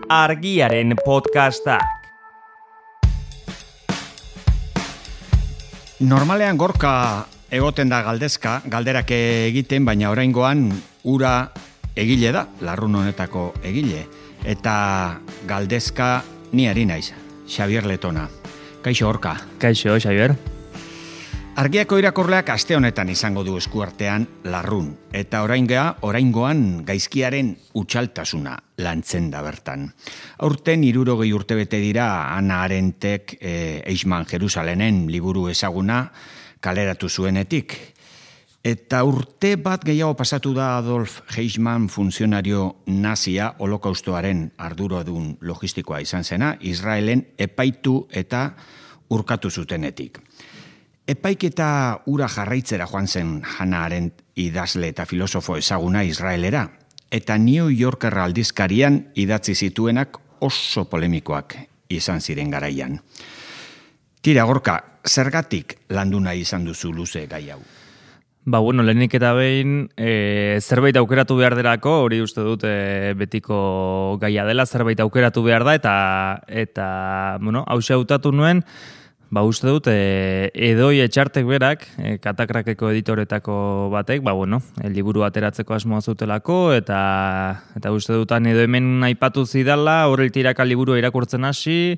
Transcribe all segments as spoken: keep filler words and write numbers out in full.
Argiaren podcastak. Normalean Gorka egoten da galdezka, galderak egiten, baina oraingoan ura egile da, larrun honetako egile. Eta galdezka ni ari naiz, Xabier Letona. Kaixo Gorka. Kaixo, Xabier. Argiako irakurleak aste honetan izango du eskuartean larrun, eta oraingoa, oraingoan gaizkiaren utxaltasuna lantzen da bertan. Aurten hirurogei urte bete dira Hannah Arendtek e, Eichmann Jerusalenen liburu ezaguna kaleratu zuenetik. Eta urte bat gehiago pasatu da Adolf Eichmann funtzionario nazia holokaustoaren arduradun logistikoa izan zena, Israelen epaitu eta urkatu zutenetik. Epaiketa ura jarraitzera joan zen Hannah Arendt idazle eta filosofo ezaguna Israelera, eta New Yorker aldizkarian idatzi zituenak oso polemikoak izan ziren garaian. Tira Gorka, zergatik landu nahi izan duzu luze gai hau? Ba, bueno, lehenik eta behin e, zerbait aukeratu behar derako, hori uste dut e, betiko gaia dela, zerbait aukeratu behar da, eta, eta bueno, hause hautatu nuen, ba, uste dut, e, Edoi Etxartek berak, e, Katakrakeko editoretako batek, ba, bueno, e, liburu ateratzeko asmoa zutelako, eta, eta uste dutan edo hemen aipatu zidala, horretiraka liburu irakurtzen hasi,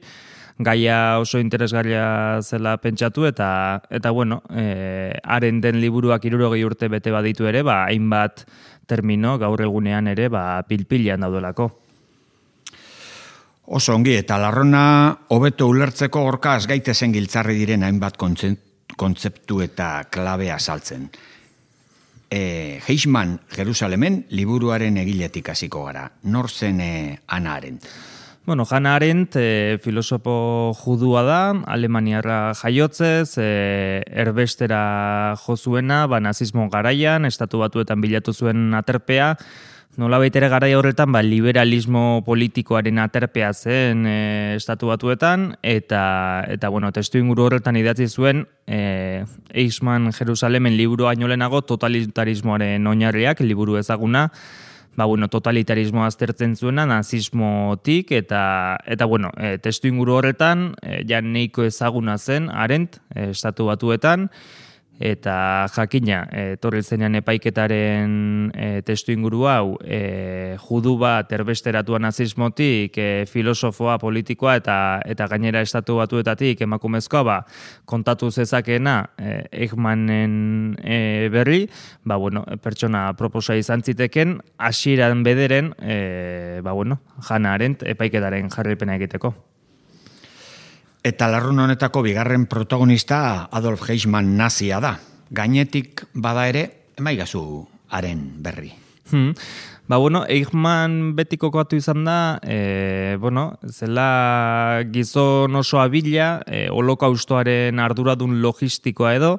gaia oso interesgarria zela pentsatu, eta, eta bueno, e, haren den liburuak hirurogei urte bete baditu ere, ba, hainbat termino gaur egunean ere, ba, pilpilean daudelako. Oso ongi, eta larrona hobeto ulertzeko Gorka azgaitezen giltzarri diren hainbat kontzeptu eta klabea saltzen. E, Eichmann Jerusalemen liburuaren egiletik hasiko gara. Nor zen e, Hannah Arendt? Bueno, Hannah Arendt e, filosofo judua da, alemaniarra jaiotzez, e, erbestera jo zuena, ba, nazismo garaian, estatu batuetan bilatu zuen aterpea, nola baitere garai horretan ba, liberalismo politikoaren aterpea zen e, estatu batuetan, eta, eta bueno, testu inguru horretan idatzi zuen e, Eichmann Jerusalemen liburu baino lehenago totalitarismoaren oinarriak, liburu ezaguna, ba, bueno, totalitarismoa aztertzen zuena nazismotik, eta, eta bueno, e, testu inguru horretan, e, ja neiko ezaguna zen Arendt, e, estatu batuetan, eta jakina, etorri zenean epaiketaren e, testu inguru hau, e, judu bat erbesteratua nazismotik, e, filosofoa, politikoa eta eta gainera estatu batuetatik emakumezkoa, ba, kontatu zezakeena e, Eichmannen e, berri, ba, bueno, pertsona proposa izan ziteken, hasieran bederen, e, ba, bueno, Hannah Arendt epaiketaren jarraipena egiteko. Eta larrun honetako bigarren protagonista Adolf Eichmann nazia da. Gainetik bada ere, emaigazu haren berri. Hmm. Ba, bueno, Eichmann betiko koatu izan da, e, bueno, zela gizon oso abila, e, holokaustoaren arduradun logistikoa edo,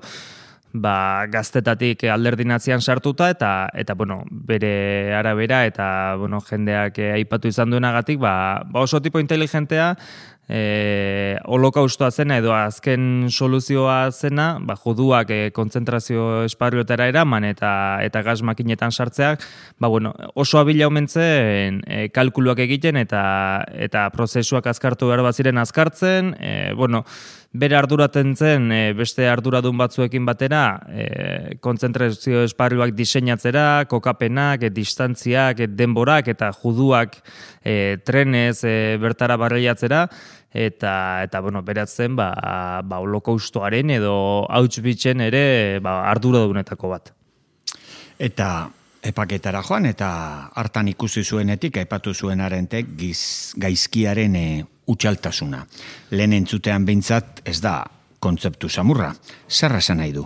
ba, gaztetatik alderdi nazian sartuta, eta, eta bueno, bere arabera, eta, bueno, jendeak e, aipatu izan duenagatik, ba, ba oso tipo inteligentea, E, holokaustoa zena edo azken soluzioa zena, ba, juduak e, kontzentrazio esparruetara eraman eta eta gas makinetan sartzeak, ba, bueno, oso abila omentzen e, kalkuluak egiten eta eta prozesuak azkartu behar baziren azkartzen, e, bueno, bere arduraten zen e, beste arduradun batzuekin batera e, kontzentrazio esparruak diseinatzera, kokapenak, e, distantziak, e, denborak eta juduak e, trenez e, bertara barreiatzera, eta eta bueno, beratzen ba ba holokaustoaren edo Auschwitzen ere ba arduradunetako bat. Eta epaketara joan eta hartan ikusi zuenetik aipatu zuen Arendtek giz, gaizkiaren e, utxaltasuna. Lehen entzutean behintzat ez da kontzeptu samurra. Zer esan nahi du?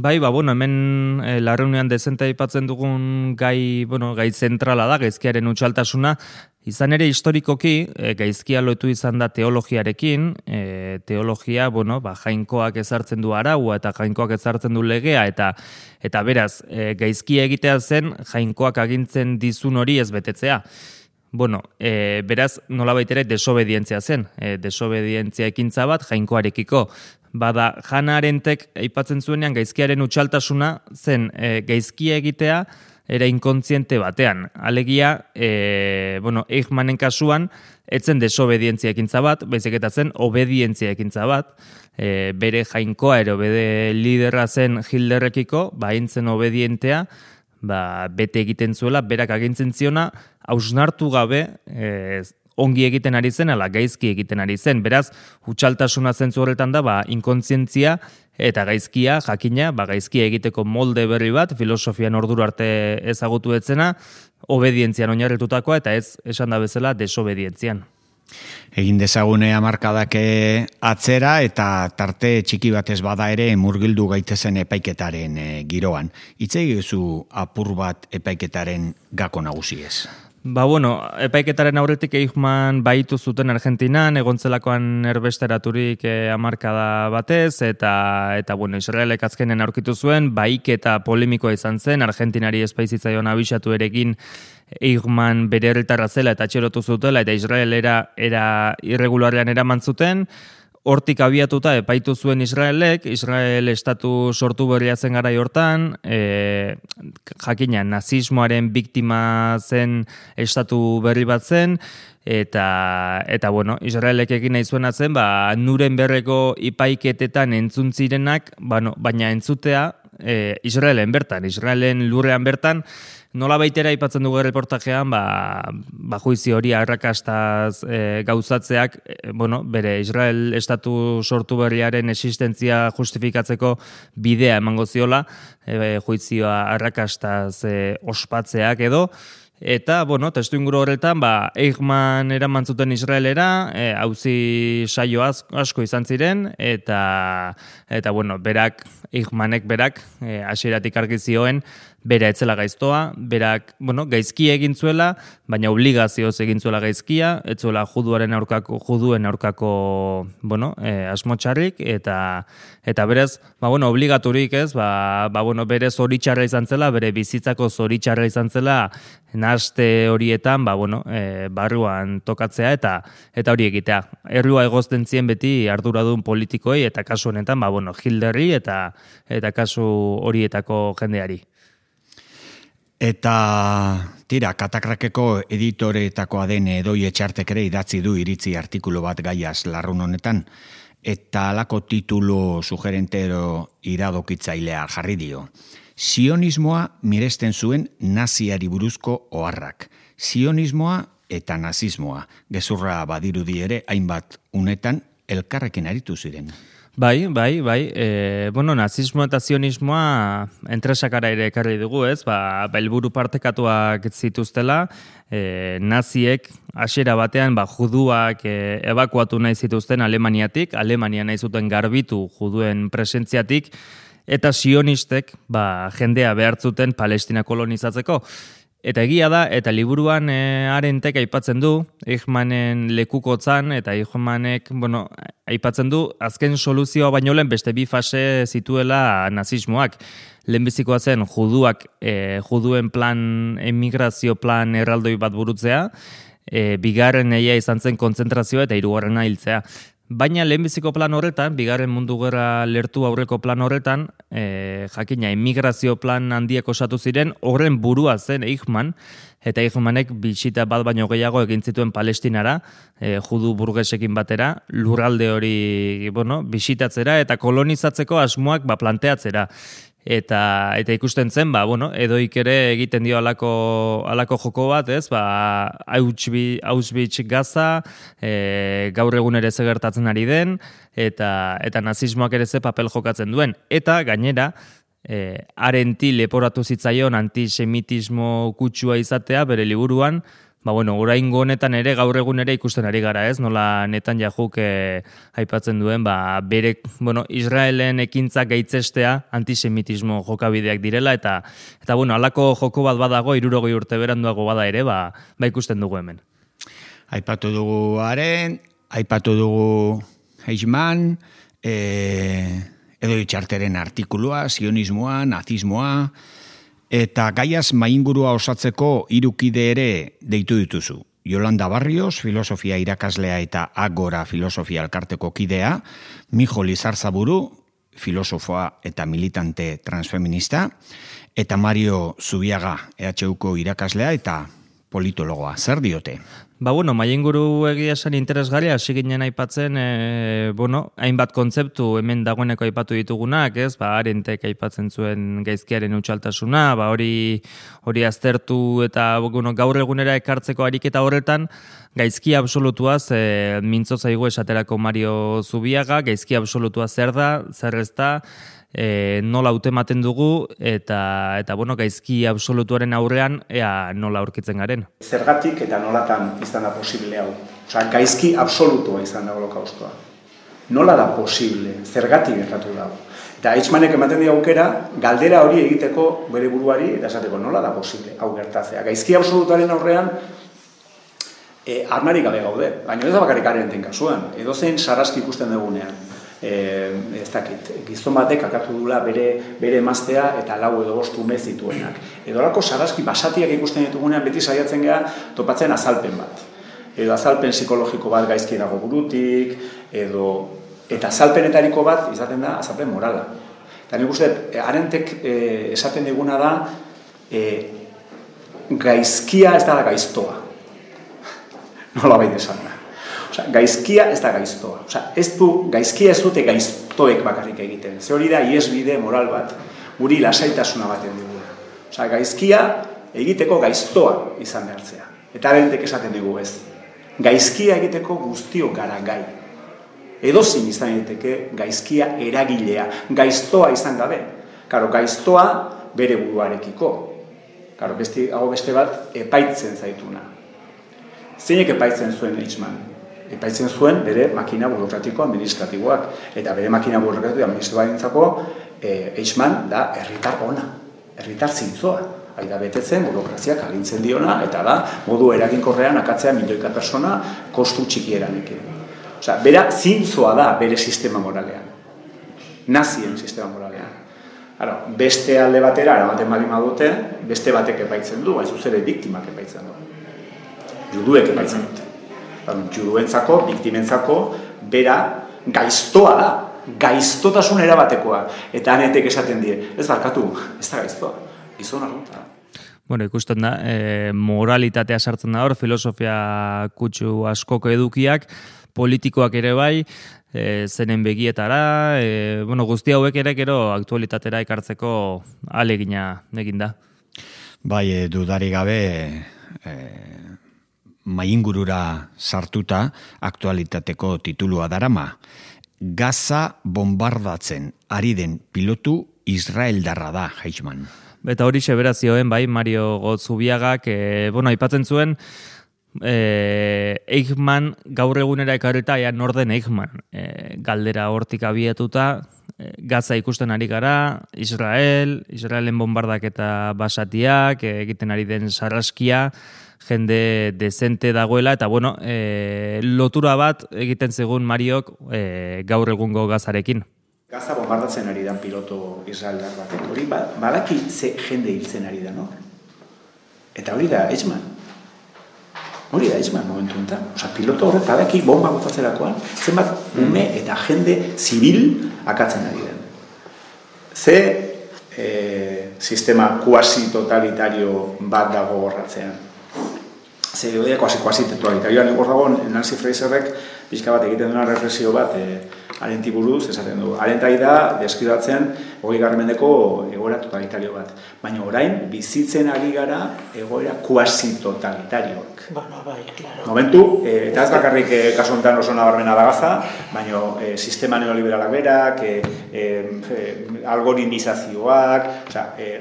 Bai, ba, bueno, hemen e, larreunean dezente aipatzen dugun gai, bueno, gai zentrala da, gaizkiaren utxaltasuna. Izan ere historikoki, e, gaizkia lotu izan da teologiarekin, e, teologia, bueno, ba, jainkoak ezartzen du araua eta jainkoak ezartzen du legea, eta eta beraz, e, gaizkia egitea zen jainkoak agintzen dizun hori ez betetzea. Bueno, e, beraz, nolabait ere desobedientzia zen, e, desobedientzia ekintza bat jainkoarekiko. Bada, Hannah Arendtek aipatzen zuenean gaizkiaren utxaltasuna zen e, gaizkia egitea, era inkontziente batean. Alegia, e, bueno, Eichmannen kasuan, etzen desobedientzia ekintza bat, baizik eta zen obedientzia ekintza bat, e, bere jainkoa ero bere liderra zen Hitlerrekiko, ba, hintzen obedientea, ba, bete egiten zuela, berak agintzen ziona, hausnartu gabe, e, ongi egiten ari zen, ala gaizki egiten ari zen. Beraz, hutsaltasuna zentzu horretan da, ba, inkontzientzia eta gaizkia, jakina, ba, gaizkia egiteko molde berri bat, filosofian orduro arte ezagutu etzena, obedientzian oinarritutakoa eta ez esan da bezala desobedientzian. Egin dezagune hamarkadake atzera eta tarte txiki batez bada ere murgildu gaitezen epaiketaren e, giroan. Hitz egizu apur bat epaiketaren gako nagusiez. Ba, bueno, epaiketaren aurretik Eichmann baitu zuten Argentinan, egontzelakoan erbesteraturik eh, hamarkada batez, eta, eta bueno, Israelek azkenen aurkitu zuen, baik eta polemikoa izan zen, Argentinari espaizitzaion abisatu erekin Eichmann bere herritarra zela eta atxerotu zutela, eta Israelera era irregularrean eraman zuten. Hortik abiatuta epaitu zuen Israelek, Israel estatu sortu berria zen garai hortan, e, jakina nazismoaren biktima zen estatu berri bat zen, eta, eta bueno, Israelek egin nahi zuena zen, ba, Nuremberreko ipaiketetan entzun zirenak, bueno, baina entzutea e, Israelen bertan, Israelen lurrean bertan, nola baitera aipatzen dugu reportajean, ba, ba juizio hori arrakastaz e, gauzatzeak, e, bueno, bere Israel estatu sortu berriaren existentzia justifikatzeko bidea emango ziola, e, juizioa arrakastaz e, ospatzeak edo, eta, bueno, testu inguru horretan, ba, Eichmann eraman zuten Israelera, e, auzi saio asko izan ziren, eta, eta bueno, berak, Eichmannek berak, e, hasieratik argi zioen, bera etzela gaiztoa, berak, bueno, gaizki egin zuela, baina obligazioz egin zuela gaizkia, etzuela juduaren aurkako, juduen aurkako, bueno, e, asmotxarrik, eta, eta berez, ba, bueno, obligaturik ez, ba, ba, bueno, bere zoritxarra izan zela, bere bizitzako zoritxarra izan zela, nahaste horietan, ba, bueno, e, barruan tokatzea, eta eta hori egitea. Errua egozten zien beti arduradun politikoei, eta kasu honetan, ba, bueno, Hitlerri, eta, eta kasu horietako jendeari. Eta, tira, Katakrakeko editoreetakoa den Edoi Etxartek ere idatzi du iritzi artikulu bat gaiaz larrun honetan, eta alako titulu sugerentero iradokitzailea jarri dio. Sionismoa miresten zuen naziari buruzko oharrak. Sionismoa eta nazismoa, gezurra badirudi ere hainbat unetan elkarrekin aritu ziren. Bai, bai, bai. E, bueno, nazismo eta zionismoa entresakara ere ekarri dugu, ez? Ba, helburu partekatuak zituztela, e, naziek hasiera batean ba, juduak e, ebakuatu nahi zituzten Alemaniatik, Alemania nahi zuten garbitu juduen presentziatik, eta sionistek ba, jendea behartzuten Palestina kolonizatzeko. Eta egia da, eta liburuan e, Arentek aipatzen du, Eichmannen lekukotzan, eta Eichmannek, bueno, aipatzen du, azken soluzioa baino lehen beste bi fase zituela nazismoak. Lehenbizikoa zen juduak, e, juduen plan, emigrazio plan erraldoi bat burutzea, e, bigarren eia izan zen kontzentrazioa eta hirugarrena hiltzea. Baina lehenbiziko plan horretan, bigarren mundu gerra lertu aurreko plan horretan, e, jakina, emigrazio plan handiek osatu ziren, horren burua zen Eichmann, eta Eichmannek bisita bat baino gehiago egin zituen Palestinara, e, judu burgesekin batera, lurralde hori, bueno, bisitatzera eta kolonizatzeko asmoak ba, planteatzera. Eta, eta ikusten zen, ba, bueno, Edoik ere egiten dio alako, alako joko bat, ez, ba, Auschwitz Gaza, e, gaur egun ere ze gertatzen ari den, eta, eta nazismoak ere ze papel jokatzen duen. Eta, gainera, e, Arenti leporatu zitzaion antisemitismo kutsua izatea, bere liburuan, ba, bueno, oraingo honetan ere gaur egun ere ikusten ari gara, ez? Nola Netanyahu eh, aipatzen duen, ba, bere, bueno, Israelen ekintza gaitzestea antisemitismo jokabideak direla, eta, eta bueno, alako joko bat badago, hirurogei urte beranduago bada ere, ba, ba ikusten dugu hemen. Aipatu dugu Aren, aipatu dugu Eichmann, e, Edoi Etxarteren artikulua, sionismoa, nazismoa, eta gaiaz maingurua osatzeko hirukide ere deitu dituzu. Yolanda Barrios, filosofia irakaslea eta Agora filosofia elkarteko kidea, Mijo Lizarzaburu, filosofoa eta militante transfeminista, Eta Mario Zubiaga, E H Uko irakaslea eta politologoa. Zer diote? Ba, bueno, maienguru egia esan interesgarria, hasi ginen aipatzen, e, bueno, hainbat kontzeptu hemen dagoeneko aipatu ditugunak, ez? Ba, Arentek aipatzen zuen gaizkiaren utxaltasuna, ba, hori hori aztertu eta bueno, gaur egunera ekartzeko ariketa horretan, gaizki absolutuaz e, mintzo zaigu esaterako Mario Zubiaga, gaizki absolutua zer da, zer ez da, E, nola hautematen dugu eta eta bueno, gaizki absolutuaren aurrean ea nola aurkitzen garen. Zergatik eta nolatan izan da posible hau. Osea, gaizki absolutua izan da holokaustoa. Nola da posible? Zergatik gertatu da. Eta Eichmannek ematen dio aukera galdera hori egiteko bere buruari eta esateko nola da posible hau gertatzea. Gaizki absolutuaren aurrean e, armarik gabe gaude. Baina ez da bakarrik Arenten kasuan. Edozein sarraski ikusten dugunean. Eh, ez dakit, gizon batek akatu dula bere, bere emaztea eta lau edo bost ume zituenak. Edolako sarraski basatiak ikusten ditugunean beti saiatzen gara topatzen azalpen bat. Edo azalpen psikologiko bat gaizki dago burutik, edo eta azalpenetariko bat izaten da azalpen morala. Eta nik uste, Arentek eh, esaten diguna da eh, gaizkia ez da gaiztoa. Nola baita esan da. Osea, gaizkia ez da gaiztoa. Osea, ez du, gaizkia ez dute gaiztoek bakarrik egiten. Ze hori da iesbide moral bat, guri lasaitasuna baten digula. Osea, gaizkia egiteko gaiztoa izan behartzea. Eta Arentek esaten digu ez. Gaizkia egiteko guztio gara gai. Edozin izan egiteke gaizkia eragilea. Gaiztoa izan gabe. Karo, gaiztoa bere buruarekiko. Karo, beste, hau beste bat epaitzen zaituna. Zeinek epaitzen zuen Eichmann? Epaitzen zuen bere makina burokratiko administratiboak. Eta bere makina burokratiko administratiboarentzako eh, Eichmann da herritar ona, herritar zintzoa. Aida betetzen, burokraziak agintzen diona, eta da, modu eraginkorrean akatzea milioika persona kostu txikieranekin. Osea, bera zintzoa da bere sistema moralean. Nazien sistema moralean. Ara, beste alde batera, eramaten bali madute, beste batek epaitzen du, baina zuzere biktimak epaitzen du. Juduek epaitzen dute. Juduentzako, biktimentzako, bera gaiztoa da. Gaiztotasun erabatekoa. Eta Arentek esaten die, ez barkatu, ez da gaiztoa. Gizon arrunta. Bueno, ikusten da, e, moralitatea sartzen da hor, filosofia kutsu askoko edukiak, politikoak ere bai, e, zenen begietara, e, bueno, guzti hauek ere gero aktualitatera ekartzeko alegina egin da. Bai, e, dudari gabe, e, maingurura sartuta aktualitateko titulua darama. Gaza bombardatzen ari den pilotu israeldarra da, Eichmann. Eta hori seberazioen, bai, Mario Zubiagak, e, bueno, aipatzen zuen, e, Eichmann gaur egunera ekarrita, ea norden Eichmann, e, galdera hortik abiatuta, e, Gaza ikusten ari gara, Israel, Israelen bombardak eta basatiak, e, egiten ari den sarraskia, jende dezente dagoela, eta bueno, e, lotura bat egiten zegun Mariok e, gaur egungo Gazarekin. Gaza bombardatzen ari da piloto israeldar batek. Hori badaki ze jende hiltzen ari da, no? Eta hori da Eichmann. Hori da Eichmann momentu enten. Osa, piloto horret badaki bomba botatzerakoan, zenbat ume eta jende zibil akatzen ari den. Ze e, sistema kuasi-totalitario bat dago horratzean. Ze hori kuasi-totalitarioan egor dago Nancy Fraserrek pixka bat egiten duna reflexio bat e, Arenti buruz esaten du. Arentai da deskribatzen hogeigarren mendeko egoera totalitario bat. Baina orain bizitzen ari gara egoera kuasi-totalitarioak. Ba, ba, bai, claro. Momentu, e, eta ez bakarrik e, kasu honetan oso nabarmena da Gaza, baina e, sistema neoliberalak berak, e, e, e, algoritmizazioak, osea, e,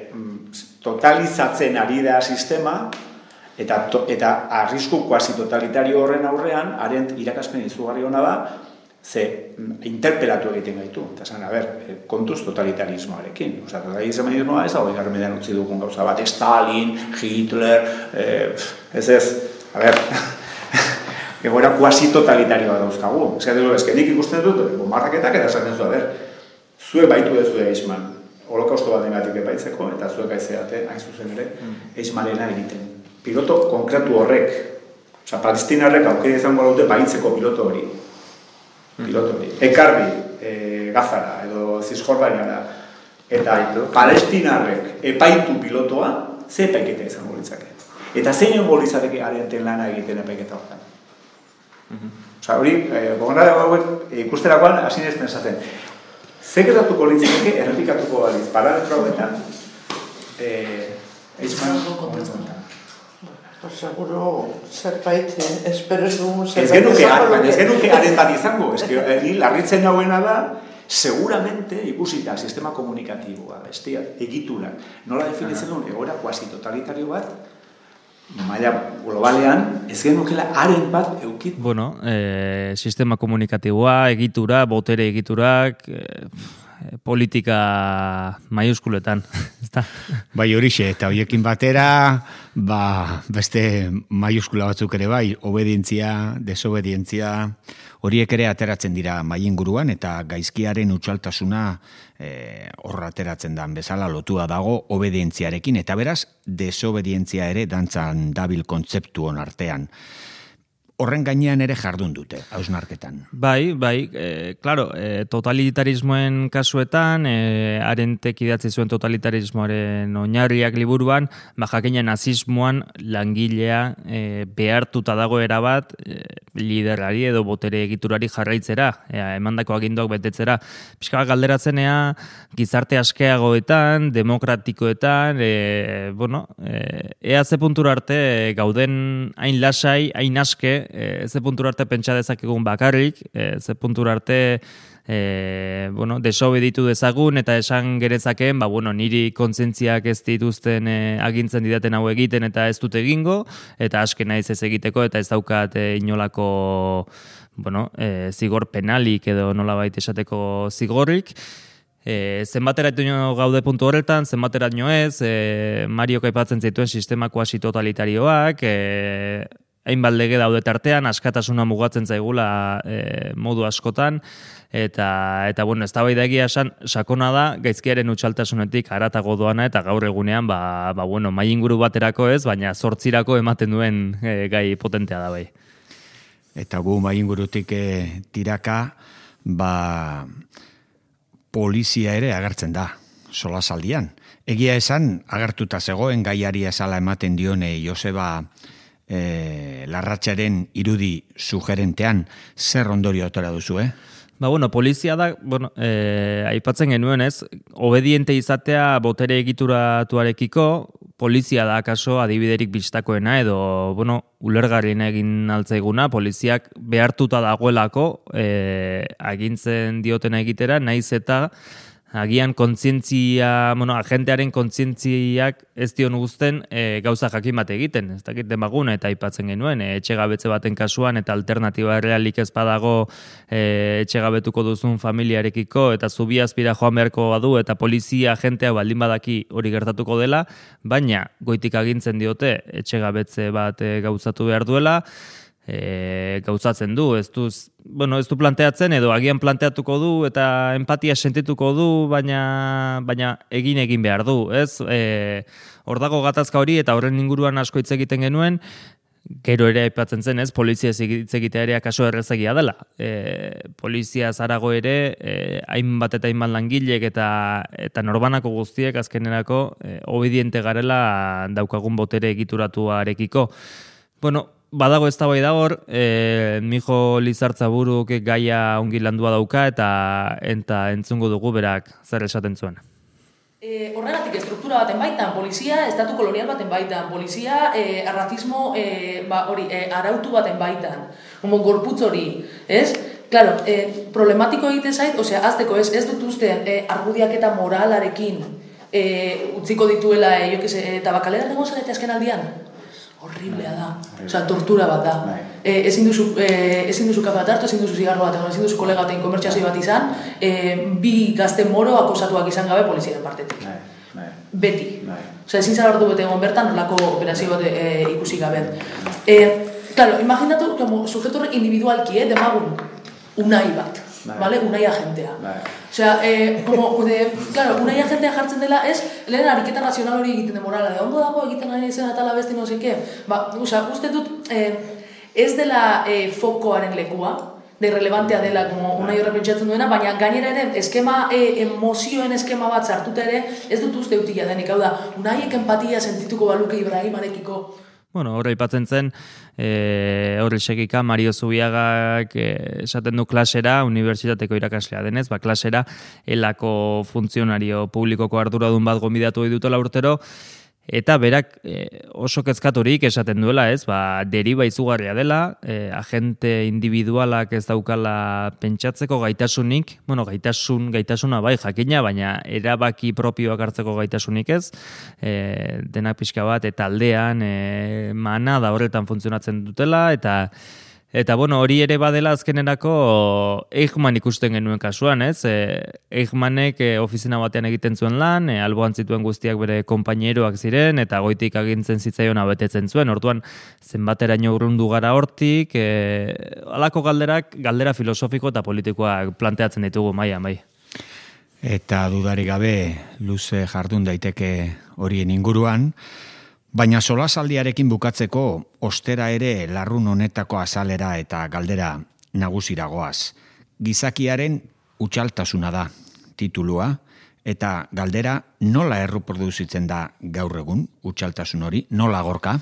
totalizatzen ari da sistema, eta, to, eta arrisku kuasi-totalitario horren aurrean, Arent irakaspen izugarri hona da, ze interpelatu egiten gaitu. Eta esan, a ber, kontuz totalitarismoarekin. Osa, totalitarismoa ez da hogeigarren mendean utzi dugun gauza bat. Stalin, Hitler, eh, ez ez, a ber, egoera kuasi-totalitarioa dauzkagu. Ez que nik ikusten dut, bombardaketak eta esaten zu, a ber, zuek baitu ez zu Eichmann, holokausto bat dengatik epaitzeko, eta zuek aizeate, hain zuzen ere, Eichmannena egiten. Piloto konkretu horrek, oza, palestinarrek aukera izango dute baitzeko piloto hori. Piloto hori. Ekarri, e, Gazara, edo Zisjordaniara, eta palestinarrek epaitu pilotoa, ze epaiketa izango litzake. Eta zein egongo litzateke Arenten lana egiten epaiketa hortan. Osa, hori, gogorra hauek ikusterakoan hasi nez pensatzen. Ze gertatuko litzateke errepikatuko baliz, parametro hauetan, eitzman, momentu honetan. Seguro zerbait, espero ez dugu zerbait izango. Ez genuke Arentan izango, ez ni larritzen nauena da, seguramente ikusita sistema komunikatiboa, bestia, egiturak, nola definitzen duen egoera kuasi totalitario bat, maila globalean, ez genukela haren bat eukit. Bueno, eh, sistema komunikatiboa, egitura, botere egiturak, eh, politika maiuskuletan. Bai horixe, eta horiekin batera, ba, beste maiuskula batzuk ere bai, obedientzia, desobedientzia, horiek ere ateratzen dira maiinguruan eta gaizkiaren utxaltasuna horra ateratzen dan bezala lotua dago obedientziarekin, eta beraz, desobedientzia ere dantzan dabil kontzeptu hon artean. Horren gainean ere jardun dute, hausnarketan. Bai, bai, e, claro, e, totalitarismoen kasuetan, e, Arentek idatzi zuen totalitarismoaren oinarriak liburuan, ba, jakina nazismoan langilea e, behartuta dago erabat e, liderari edo botere egiturari jarraitzera, e, emandako aginduak betetzera. Piskal galderatzenea, gizarte askeagoetan, demokratikoetan, e, bueno, e, ea ze puntura arte gauden hain lasai, hain aske, E, ze puntura arte pentsa dezakegun bakarrik, e, ze puntura arte e, bueno, desobeditu dezagun eta esan gerezakeen, ba, bueno, niri kontzientziak ez dituzten e, agintzen didaten hau egiten eta ez dut egingo, eta aske naiz ez egiteko eta ez daukat e, inolako bueno, e, zigor penalik edo nolabait esateko zigorrik. E, zenbateraino gaude puntu horretan, zenbateraino ez, e, Mariok aipatzen zituen sistema kuasi totalitarioak, e, hainbat lege daude tartean, askatasuna mugatzen zaigula e, modu askotan, eta, eta bueno, ez da bai da egia esan, sakona da, gaizkiaren utxaltasunetik haratago doana, eta gaur egunean, ba, ba bueno, mailinguru baterako ez, baina zortzirako ematen duen e, gai potentea da bai. Eta gu mailingurutik e, tiraka, ba, polizia ere agertzen da, solasaldian. Egia esan, agertuta zegoen gaiari esala ematen dione Joseba E, Larratxaren irudi sugerentean, zer ondorio atera duzu, eh? Ba, bueno, polizia da, bueno, e, aipatzen genuen ez, obediente izatea botere egituratuarekiko, polizia da akaso adibiderik bistakoena edo, bueno, ulergarriena egin altzaiguna, poliziak behartuta dagoelako e, agintzen diotena egitera, naiz eta agian kontzientzia, bueno, agentearen kontzientziak ez dion guzten e, gauza jakin bat egiten. Ez dakit demaguna eta aipatzen genuen, e, etxegabetze baten kasuan eta alternatiba realik ez badago e, etxegabetuko duzun familiarekiko eta zubi azpira joan beharko badu eta polizia agentea baldin badaki hori gertatuko dela, baina goitik agintzen diote etxegabetze bat e, gauzatu behar duela, E, gauzatzen du, ez du, bueno, ez du planteatzen edo agian planteatuko du eta empatia sentituko du, baina, baina egin egin behar du, ez? E, hor dago gatazka hori eta horren inguruan asko hitz egiten genuen, gero ere aipatzen zen, ez? Polizia hitz egitea ere akaso errezegia dela. E, polizia zarago ere, e, hainbat eta hainbat langilek eta, eta norbanako guztiek azkenerako e, obediente garela daukagun botere egituratuarekiko. Bueno, badago ez da bai da hor, e, Mijo Lizartzaburuk gaia ongi landua dauka eta enta entzungo dugu berak zer esaten zuen. E, horregatik estruktura baten baitan, polizia, estatu kolonial baten baitan, polizia, e, arrazismo e, ba, hori, e, arautu baten baitan, homo gorputz hori, ez? Claro, e, problematiko egite zait, osea, azteko ez, ez dut uste e, argudiak eta moralarekin e, utziko dituela, e, jo, kese, eta bakalera dago zarete azken aldian? Horriblea da, osea, tortura bat da. E, ezin duzu, e, ezin duzu kafe bat hartu, ezin duzu zigarro bat, ezin duzu kolega batein komertxazio bat izan, e, bi gazte moro akosatuak izan gabe poliziaren partetik. Beti. Osea, ezin zara hartu bete egon bertan, nolako operazio bat e, ikusi gabe. E, claro, imaginatu, como sujeto individualki, eh, demagun, unai bat. Vale, unai agentea. Osea, eh, como, de, claro, unai agentea jartzen dela, ez, lehen ariketa razional hori egiten de morala, de ondo dago egiten ari zen atala beste no seke. Ba, osea, uste dut, eh, ez dela eh, fokoaren lekua, de relevantea dela, como unai horre pentsatzen duena, baina gainera ere, eskema, e, emozioen eskema bat sartuta ere, ez dut uste utila denik, hau da, unaiek empatia sentituko baluke Ibrahimarekiko. Bueno, horre ipatzen zen, e, horre segika Mario Zubiagak e, esaten du klasera, unibertsitateko irakaslea denez, ba, klasera elako funtzionario publikoko arduradun bat gonbidatu dutela urtero, eta berak e, oso kezkaturik esaten duela, ez, ba, deriba izugarria dela, e, agente individualak ez daukala pentsatzeko gaitasunik, bueno, gaitasun, gaitasuna bai jakina, baina erabaki propioak hartzeko gaitasunik ez, e, denak pixka bat, eta aldean, e, mana da horretan funtzionatzen dutela, eta Eta, bueno, hori ere badela azkenerako Eichmann ikusten genuen kasuan, ez? E, Eichmannek e, ofizina batean egiten zuen lan, e, alboan zituen guztiak bere konpainieroak ziren, eta goitik agintzen zitzaiona betetzen zuen. Orduan, zenbateraino urrundu gara hortik, e, alako galderak, galdera filosofiko eta politikoak planteatzen ditugu, maia, bai. Eta dudarik gabe, luze jardun daiteke horien inguruan, baina solasaldiarekin bukatzeko ostera ere larrun honetako azalera eta galdera nagusiragoaz. Gizakiaren utxaltasuna da titulua, eta galdera nola erreproduzitzen da gaur egun utxaltasun hori, nola gorka?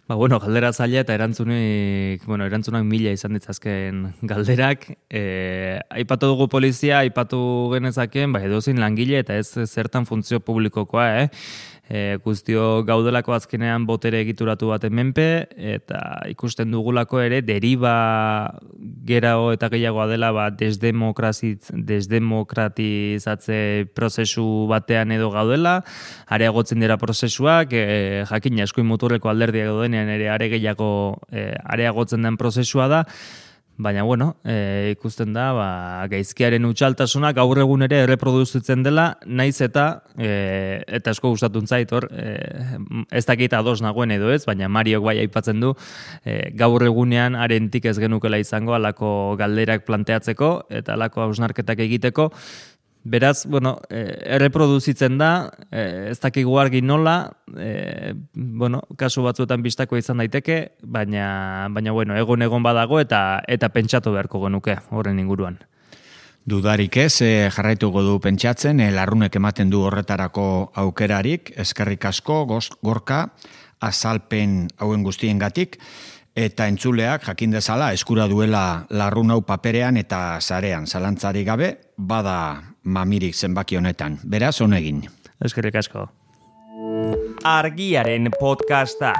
Ba, bueno, galdera zaila eta erantzunik, bueno, erantzunak mila izan ditzazken galderak. E, aipatu dugu polizia, aipatu genezakeen, ba, edozin langile eta ez zertan funtzio publikokoa, eh? E, guztio gaudelako azkenean botere egituratu baten menpe, eta ikusten dugulako ere deriba gerao eta gehiagoa dela ba, desdemokratizatze prozesu batean edo gaudela, areagotzen dira prozesuak, e, jakin eskuin muturreko alderdiak daudenean ere are gehiago e, areagotzen den prozesua da, baina, bueno, e, ikusten da, ba, gaizkiaren utxaltasunak gaur egun ere erreproduzitzen dela, naiz eta, e, eta asko gustatun zait, hor, e, ez dakit ados nagoen edo ez, baina Mariok bai aipatzen du, e, gaur egunean arentik ez genukela izango alako galderak planteatzeko, eta alako hausnarketak egiteko. Beraz, bueno, eh, erreproduzitzen da, eh, ez dakigu argi nola, eh, bueno, kasu batzuetan bistako izan daiteke, baina, baina bueno, egon egon badago eta eta pentsatu beharko genuke horren inguruan. Dudarik ez, eh, jarraituko du pentsatzen, eh, larrunek ematen du horretarako aukerarik, eskerrik asko, goz, gorka, azalpen hauen guztiengatik, eta entzuleak jakin dezala eskura duela larrun hau paperean eta sarean, zalantzarik gabe, bada mamirik zenbaki honetan. Beraz, honegin. Eskerrik asko. Argiaren podcasta.